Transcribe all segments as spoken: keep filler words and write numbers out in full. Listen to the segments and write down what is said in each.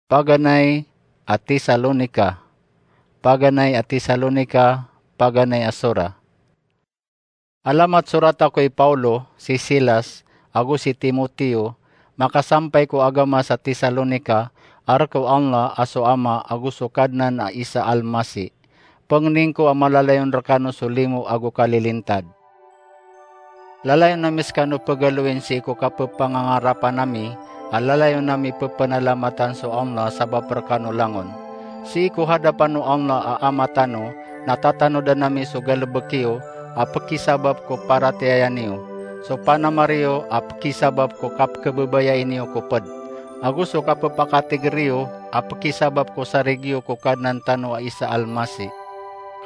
Paganay a Tesalonika. Paganay a Tesalonika, paganay a sora. Alamat sorata ko i Paulo, si Silas, ago si Timoteo, makasampay ko agama sa Tesalonika, a rk o Allah a so Ama ago so Kadnan a Isa Almasi. Pangnin ko a malalayon rkano so limo ago kalilintad. Lalayon ami skano pgaloin sii ko kapphangangarapan ami, a lalayon ami pphanalamatan so Allah sabap rkano langon. Sii ko hadapan o Allah a Ama tano, na tatanodan ami so galbk iyo a pkhisabap ko paratiyaya niyo, so panamar iyo a pkhisabap ko kapkhababayai niyo ko pd, ago so kapphakatigr iyo a pkhisabap ko sarig iyo ko Kadnan tano a Isa Almasi.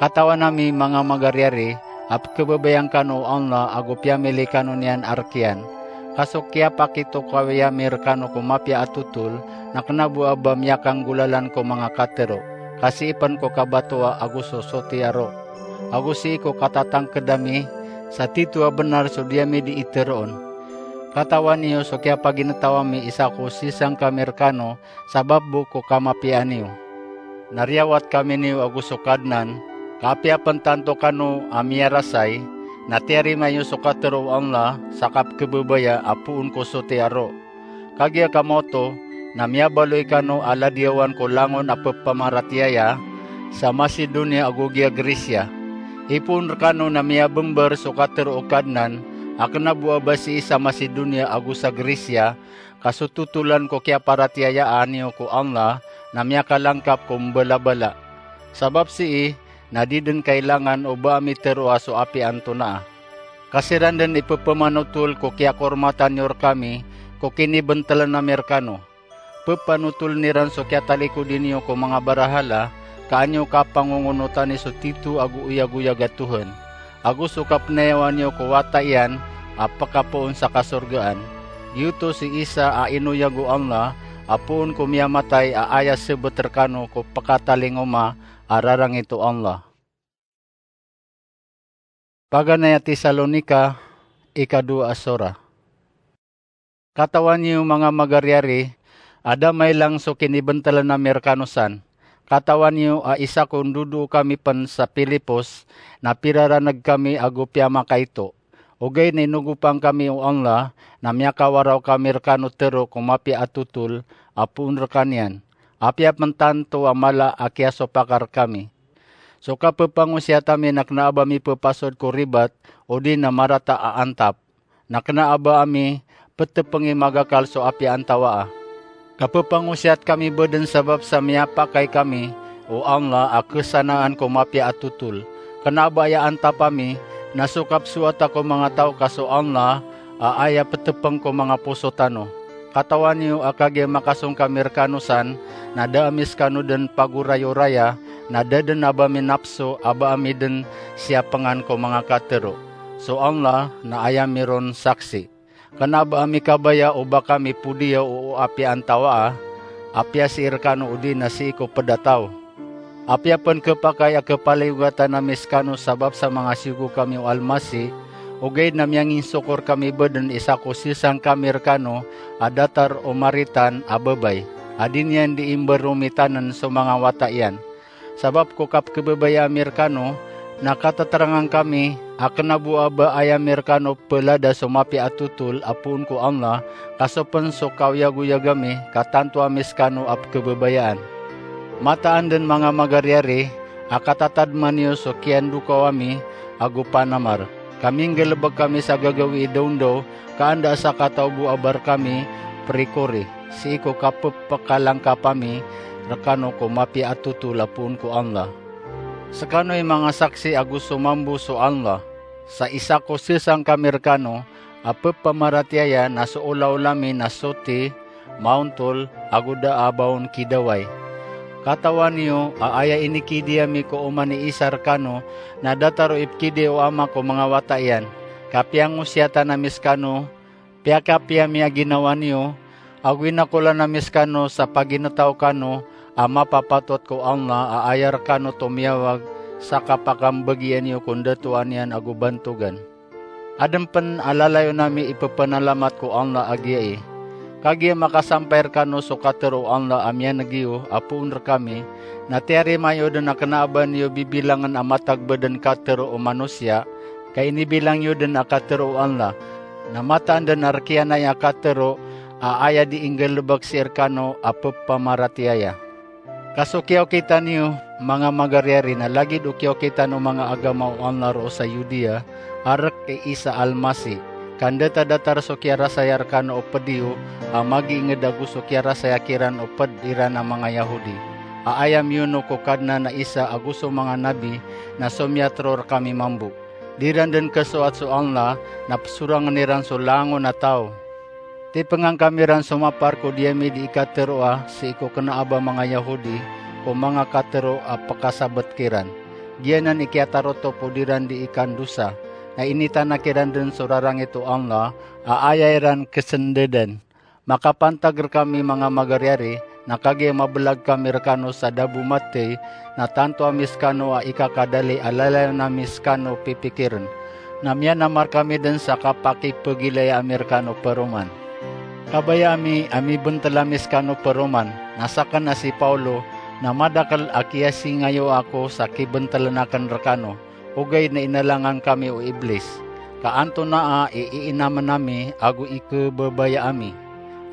Katawan ami, manga magaryari, a pkhababayaan kano o Allah ago piyamili kano niyan a rk iyan. Ka so kiyapakitokawi ami rkano ko mapiya a totol na kna bo a ba miyakanggolalan ko manga katharo, ka sii pn ko kabatoa ago so soti a roo, ago sii ko katatangkd ami sa tito a bnar so di ami dii tharoon. Katawan iyo so kiyapagintaw ami isa ko sisangkami rkano sabap bo ko kamapiyaan iyo. Na riyawat kami niyo ago so Kadnan, ka apiya pn tanto kano a miyarasay, na tiyarima iyo so katharo o Allah sa kapkhababaya a poon ko soti a roo. Kagiya kamaoto, na miyabaloy kano a ladiyawan ko langon a pphamaratiyaya sa Macedonia ago giya Grecia. Ipoon rkano na miyabmbar so katharo o Kadnan, a kna bo a ba sii sa Macedonia ago sa Grecia, ka so totolan ko kiyaparatiyayaan iyo ko Allah na miyakalangkap ko mbalabala. Sabap sii na di dn kailangan o ba ami tharoa so apiya antonaa. Ka siran dn i pphmanotol ko kiyakormatan iyo rkami ko kinibntlan ami rkano. Ppanotol iran so kiyatalikodi niyo ko manga barahala, ka an iyo kapangongonotani so tito ago oyagoyag a tohan, ago so kapnayawa niyo ko wata iyan a pkapoon sa kasorgaan. Giyoto si Isa a inoyag o Allah a poon ko miyamatay a aya sbt rkano ko pkatalingoma a rarangit o Allah. Paganay a Tesalonika, ikadowa a sora. Katawan iyo, manga magaryari, a da mailang so kinibntlan ami rkano san. Katawan iyo a isa ko ndodoo kami pn sa Filipos na piraraneg kami ago piyamakaito. Ogaid na inogopang kami o Allah na miyakawaraw kami rkano tharo ko mapiya a totol a poon rkaniyan. Apiya pn tanto a mala a kiyasopak rkami. So kapphangosiyat ami na kna a ba mipphasod ko ribat odi na marata a antap, na kna a ba ami ptpngi magakal so apiya antawaa. Kapphangosiyat kami bo dn sabap sa miyapakay kami o Allah a khasanaan ko mapiya a totol. Kna a ba aya antap ami na so kapsoata ko manga taw ka so Allah a aya ptpng ko manga poso tano. Katawan iyo a kagiya makasong kami rkano san, na da ami skano dn pagorayoraya, na da dn a ba ami napso a ba ami dn siyapngan ko manga katharo. So Allah na aya ami ron saksi. Kna a ba ami kabaya o ba kami podiyaw o apiya antawaa, apiya sii rkano odi na sii ko pd a taw. Apiya pn khapakay a khapaliyogat ami skano sabap sa manga siyogo kami o Almasi, ogaid na miyanginsokor kami bo dn isa ko sisangkami rkano a datar o maritan a babay, a di niyan dii mbaromitann so manga wata iyan. Sabap ko kapkhababaya ami rkano, na katatrangan kami a kna bo a ba aya ami rkano phalada so mapiya a totol a poon ko Allah, ka so pn so kaoyagoyag ami ka tanto ami skano a pkhababayaan. Mataan dn, manga magaryari, a katatadman iyo so kiyandokaw ami ago panamar, ka minggalbk kami sa gagawii dawndaw, ka anda a sakataw bo a ba rkami prikori, sii ko kapphkalangkap ami rkano ko mapiya a totol a poon ko Allah. Skano i manga saksi ago so mambo so Allah, sa isa ko sisangkami rkano a pphamaratiyaya na so olaola mi na soti, maontol, ago da a ba on kidaway. Katawan iyo a aya inikidi ami ko oman i isa rkano na datar o ipkidi o ama ko manga wata iyan. Ka piyangosiyatan ami skano, piyakapiya mi a ginawa niyo, ago inakolan ami skano sa pagintaw kano a mapapatot ko Allah a aya rkano tomiyawag sa kapakambgiya niyo ko ndatoan iyan ago bantogan. Adn pn a lalayon ami ippanalamat ko Allah a giyai. Kagiya makasampay rkano so katharo o Allah a miyaneg iyo a poon rkami, na tiyarima iyo dn a kna a ba niyo bibilangn a matag bo dn katharo o manosiya, ka inibilang iyo dn a katharo o Allah, na mataan dn a rk iyan aya a katharo a aya di inggalbk sii rkano a ppamaratiyaya. Ka so kiyaokitan iyo, manga magaryari, na lagid o kiyaokitan o manga agama o Allah roo sa Yudiya a rk i Isa Almasi, ka ndata-datar so kiyarasaya rkano o pd iyo a magiingd ago so kiyarasaya kiran o pd iran a manga Yahudi, a aya miyono ko Kadnan a Isa ago so manga nabi, na somiyatharo rkami mambo. Di ran dn khasoat so Allah, na psorangn iran so langon a taw. Tipngan kami ran somapar ko di ami di ikatharoa sii ko kna a ba manga Yahudi ko manga katharo a pkasabt kiran. Giyanan i kiyatarotop o di ran di ikandosa, na initanak iran dn so rarangit o Allah a aya iran ksndadan. Makapantag rkami, manga magaryari, na kagiya mablag kami rkano sa da bo mathay, na tanto ami skano a ikakadali a lalayon ami skano pipikirn. Na miyanamar kami dn sa kapakipagilaya ami rkano paroman. Kabaya ami a mibntl ami skano paroman, na sakn a si Paulo, na madakl a kiyasingayoa ako sa kibntln akn rkano, ogaid na inalangan kami o Iblis. Ka antonaa i iinamn ami ago ikhababaya ami,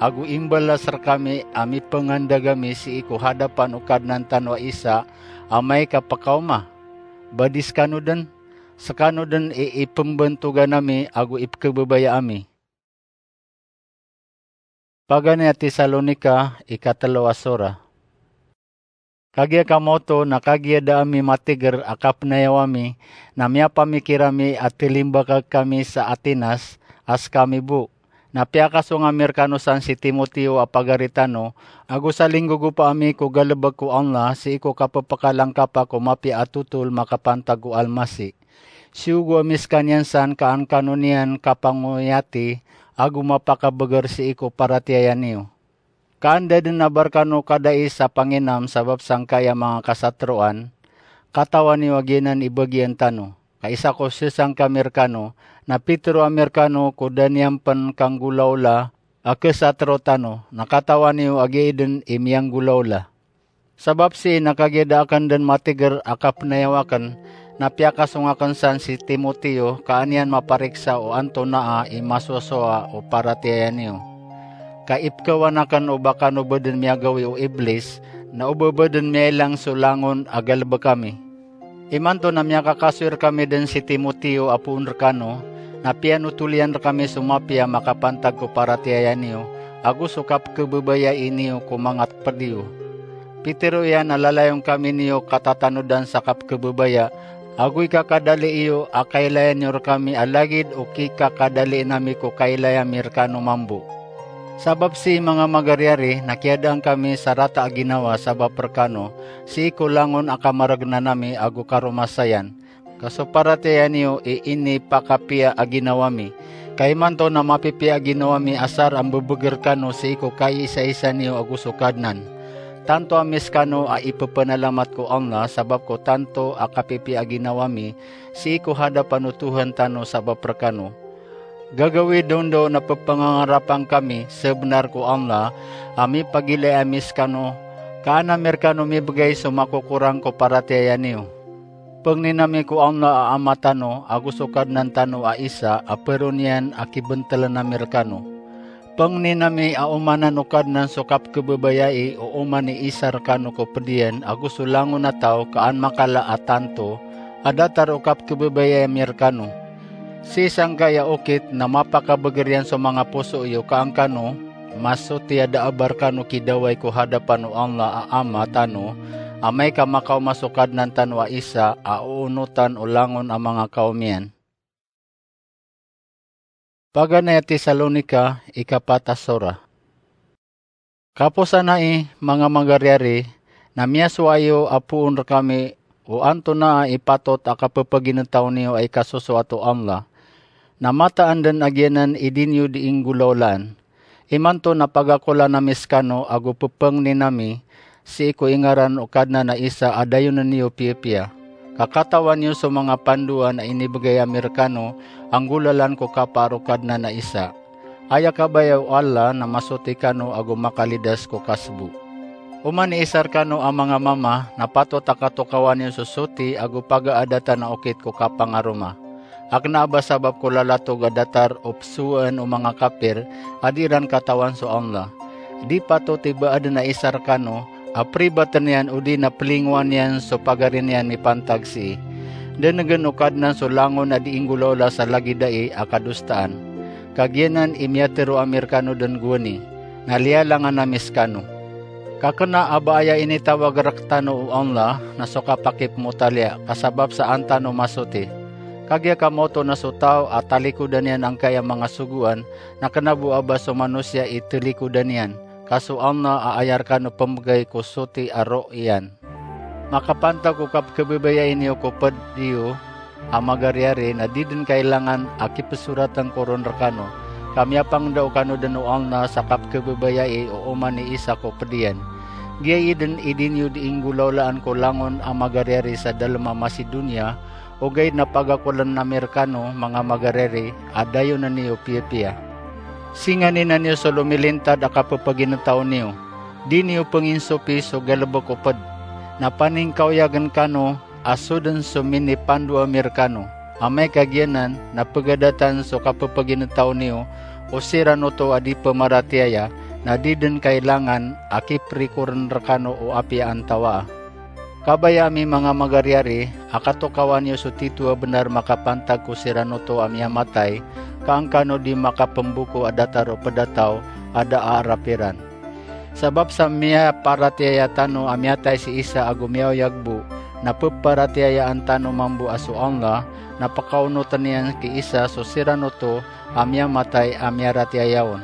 ago imbalas rkami a mipangandag ami sii ko hadapan o Kadnan tano a Isa amay ka pkaoma? Badi skano dn, skano dn i ipmbantogan ami ago ipkhababaya ami. Paganay a Tesalonika, ikatlo a sura. Kagiya kamaoto na kagiya da ami matigr a kapnayaw ami, na miyapamikir ami a tlimbaka kami sa Atenas a skami bo. Na piyakasong ami rkano san si Timoteo a pagari tano, ago salinggogopa ami ko galbk o Allah sii ko kapphkalangkapa ko mapiya a thotol makapantag ko Almasi. Siyogo ami skaniyan san ka an kano niyan kapangoyati ago mapakabgr sii ko paratiyaya niyo. Ka anda dn a ba rkano kadai sa panginam sabap sangkai a manga kasatroan, katawan iyo a giyanan i bagian tano. Ka isa ko sesang kami rkano, na pitharo ami rkano ko da niyan pn kanggolaola a khasatro tano, na katawan iyo a giya dn i miyanggolaola. Sabap sii na kagiya da akn dn matigr a kapnayaw akn, na piyakasong akn san si Timoteo ka an iyan mapariksa o antonaa i masosowa o paratiyaya niyo. Ka ipkhawan akn o ba kano bo dn miyagawii o Iblis, na o ba bo dn miyailang so langon a galbk ami. Imanto na miyakakasoy rkami dn si Timoteo a poon rkano, na piyanothol iyan rkami so mapiya makapantag ko paratiyaya niyo, ago so kapkhababayai niyo ko manga pd iyo. Pitharo iyan a lalayon kami niyo katatanodan sa kapkhababaya, ago ikakadali iyo a kailayan iyo rkami a lagid o kikakadalin ami ko kailay ami rkano mambo. Sabap sii, manga magaryari, na kiyadaan kami sa rata a ginawa sabap rkano, sii ko langon a kamargnan ami ago karomasayan, ka so paratiyaya niyo i inipakapiya a ginawa mi. Ka imanto na mapipiya a ginawa mi asar a mbabagr rkano sii ko kaiisaisa niyo ago so Kadnan. Tanto ami skano a ippanalamat ko Allah sabap ko tanto a kapipiya a ginawa mi sii ko hadapan o Tuhan tano sabap rkano. Gagawii dondaw na pphangangarapan kami sabnar ko Allah a mipagilaya ami skano, ka an ami rkano mibgay so makokorang ko paratiyaya niyo. Pangnin ami ko Allah a Ama tano ago so Kadnan tano a Isa a paroon iyan a kibntln ami rkano. Pangnin ami a omanan o Kadnan so kapkhababayai o oman i Isa rkano ko pd iyan ago so langon a taw, ka an makala a tanto a datar o kapkhababayai ami rkano. Sii sangkai a okit na mapakabagr iyan so manga poso iyo ka an kano masotiya da a ba rkano kidawai ko hadapan o Allah a Ama tano amay ka makaoma so Kadnan tano a Isa a oonotan o langon a manga kaom iyan. Paganay a Tesalonika, ikapat a sura. Kaposanai, manga magaryari, na miyasowa iyo a poon rkami o antonaa i patot a kapphagintaw niyo a ikasosoat o Allah, na mataan dn a giyanan i di niyo di inggolaolaan. Imanto na pagakolan ami skano ago ppangnin ami sii ko ingaran o Kadnan a Isa a dayonen iyo piyapiya. Ka katawan iyo so manga pandoan a inibgay ami rkano a nggolalan ko kapaar o Kadnan a Isa. Aya kabaya o Allah na masoti kano ago makalidas ko kasbo. Oman i isa rkano a manga mama na patot a katokawan iyo so soti ago pagaadatan a okit ko kapangaroma. A kna a ba sabap ko lalatog a datar o psowaen o manga kapir a di iran katawan so Allah. Di patot i ba aden a isa rkano a pribaten iyan odi na plingowan iyan so pagari niyan mipantag sii. Denegen o Kadnan so langon a di inggolawla sa lagid ai a kadostaan. Kagiyanan i miyatero ami rkano den gowani, na liyalangan ami skano. Ka kna a ba aya initawag rektano o Allah na so kapakipmotaliya, ka sabap sa an tano masoti. Kagiya ka maoto na so taw a talikodan iyan angkai a manga sogoan, na kna bo a ba so manosiya i talikodan iyan, ka so Allah a aya rkano pembegay ko soti a roo iyan. Makapantag ko kapkhababayai niyo ko ped iyo a magariyari na di den kailangan a kipsoraten ko ron rkano, ka miyapangndao kano den o Allah sa kapkhababayai o oman i isa ko ped iyan. Giyai den i di niyo di inggolawlaan ko langon a magariyari sa dalem a Macedonia, ogaid na pagakolen ami rkano manga magariyari a dayonen iyo piyapiya. Singaninan iyo so lomilintad a kapepaginetaw niyo. Di niyo penginsopi so galebek o ped. Na paningkaoyagen kano a so den so minipandoa mi rkano. Amay ka giyanan na pegadatan so kapepaginetaw niyo o siran oto a di pemaratiyaya, na di den kailangan a kiprikoren rkano o apiya antawaa. Kabaya ami manga magariyari a katokawan iyo so tito a benar makapantag ko siran oto a miyamatay, ka an kano di makapemboko a datar o ped a taw a da a arap iran. Sabap sa miyaparatiyaya tano a miyatay si isa ago miyaoyag bo, na peparatiyayaan tano mambo a so Allah na pekaonoten iyan ki isa so siran oto a miyamatay a miyaratiyaya on.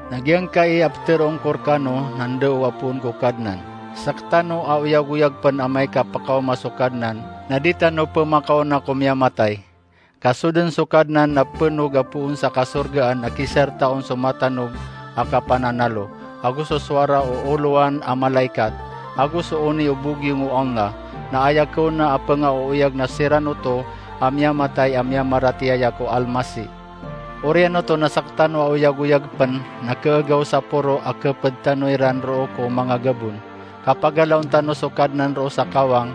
Na giyangkai a peteroon ko rkano na ndao a poon ko Kadnan. Sektano a oyagoyag pen amay ka pekaoma so Kadnan, na di tano pemakaona ko miyamatay. Ka so den so Kadnan na penog a poon sa kasorgaan a kisarta on so matanog a kapananalo, ago so sowara o olowan a malaikat, ago so oni o bogiyong o Allah, na aya kaona a pengaoyag na siran oto a miyamatay a miyamaratiyaya ko Almasi. Oriyan oto na sektano a oyagoyag pen na keegaw sa poro a keped tano iran roo ko manga gabon. Kapagalaon tano so Kadnan roo sa kawang,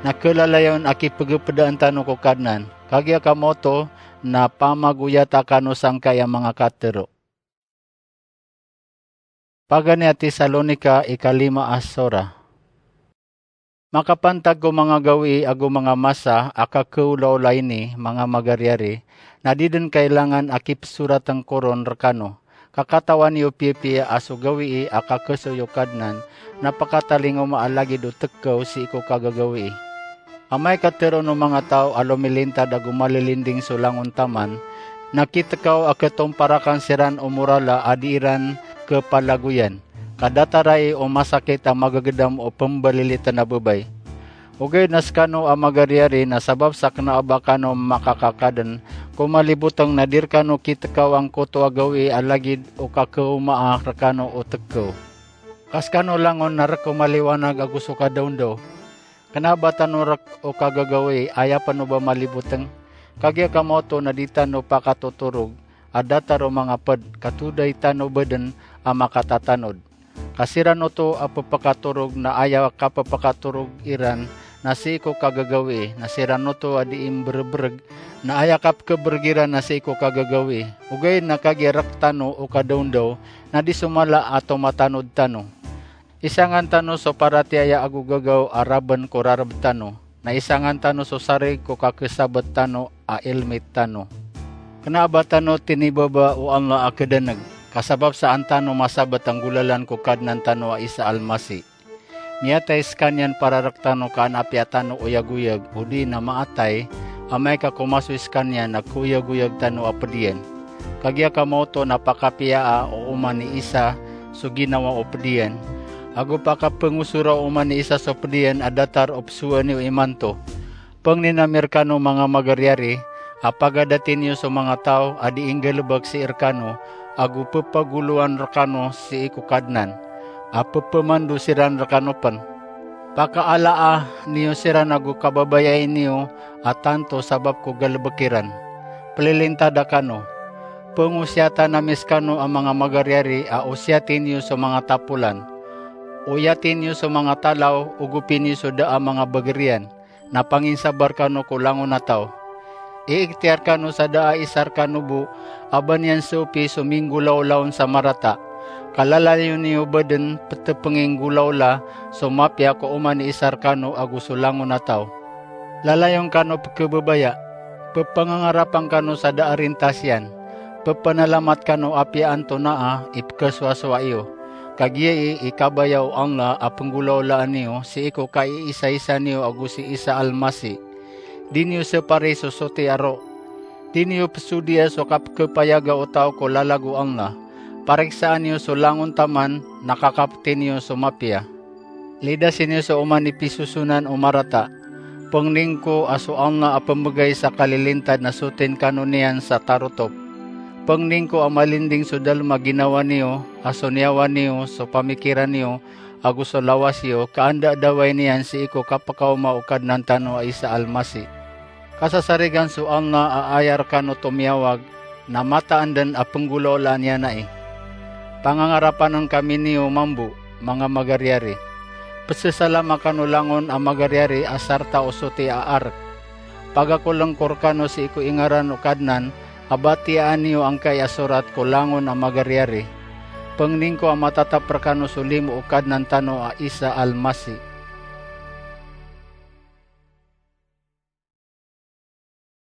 na kelalayon a kipegepedaan tano ko Kadnan. Kagiya ka maoto na pamagoyata kano sangkai a manga katero. Paganay a Tesalonika ikalima a sora. Makapantag ko manga gawii ago manga masa a kakeolaola ini, manga magariyari, na di den kailangan a kipsoraten ko ron rekano. Ka katawan iyo piyapiya a so gawii a kakesoy o Kadnan na pekatalingoma a lagid o tekew sii ko kagagawii. Amay ka teroon o manga taw a lomilintad ago malilinding so langon taman, na kitekaw a ketomparakan siran o morala a di iran kepalagoyan, ka datar ai o masakit a magegedam o pembaliliten a bebay. Ogaid na sekano a magariyari na sabap sa kena a ba kano makakakaden ko maliboteng na di rekano kitekaw angkoto a gawii a lagid o kakeomaa rekano o tekew. Ka sekano langon na rek o maliwanag ago so kadaondaw. Kena a ba tano rek o kagagawii, aya pen o ba maliboteng. Kagiya ka maoto na di tano pakatotorog a datar o manga ped, ka today tano baden a makatatanod. Ka siran oto a pepekatorog na aya kapepekatorog iran na sii ko kagagawii, na siran oto a di imberebereg na aya kapkebereg iran na sii ko kagagawii. Ogaid na kagiya rek tano o kadaondaw, na di so mala a tomatanod tano. Isangan tano so paratiyaya ago gagaw a raben ko rareb tano, na isangan tano so sarig ko kakesabet tano a ilmit tano. Kena a ba tano tinibaba o Allah a kedaneg, ka sabap sa an tano masabet a nggolalan ko Kadnan tano a isa Almasi. Miyatay sekaniyan para rek tano ka an apiya tano oyagoyag, odi na maatay, amay ka komasoy sekaniyan na koyagoyag tano a ped iyan. Kagiya ka maoto na pakapiyaa o oman i isa so ginawa o ped iyan, ago pakapengosora o oman i isa so ped iyan a datar o pesowa niyo imanto. Pengnin ami rekano manga magariyari a pagadati niyo so manga taw a di inggalebek sii rekano, ago pepagolowan rekano sii ko Kadnan a pepemando siran rekano pen. Pakaalaa niyo siran ago kababayai niyo a tanto sabap ko galebek iran. Pelilintada kano. Pngosiyatan ami skano a manga magaryari a osiyati niyo so manga tapolan. Oyati niyo so manga talaw, ogopi niyo so da a manga bagr iyan, na panginsabar kano ko langon a taw. Iiktiyar kano sa da a isa rkano bo a ba niyan sopi so minggolawla on sa marata. Ka lalayon iyo badn ptpnginggolawla so mapiya ko oman i isa rkano ago so langon a taw. Lalayon kano pkhababaya. Pphangangarapan kano sa da a rintas iyan. Pphanalamat kano apiya antonaa i pkhasowasowa iyo. Kagiya i ikabaya o Allah a pnggolawlaan iyo sii ko kaiisaisa niyo ago si Isa Al-Masih. Di niyo sapari so soti a ro. Di niyo psodiya so kapkhapayaga o taw ko lalag o Allah. Pariksaan iyo so langon taman na kakapti niyo so mapiya. Lidasi niyo so oman i pisosonan o marata. Pngnin ko a so Allah a pmbgay sa kalilintad na sotin kano niyan sa tarotop. Pngnin ko a malinding so dalm a ginawa niyo, a so niyawa niyo, so pamikiran iyo, ago so lawas iyo, ka anda dawai niyan sii ko kapkaoma o Kadnan tano a Isa Al-Masih. Kasasarigan so Allah a aya rkano tomiyawag, na mataan dn a pnggolawlaan iyan ai. Pangangarapan kami niyo mambo, manga magaryari. Pzasalama kano langon a magaryari a sarta o soti a ark. Pagakolngko rkano sii ko ingaran o Kadnan a batiyaan iyo angkai a sorat ko langon a magaryari. Pngnin ko a matatap rkano so limo o Kadnan tano a Isa Al-Masih.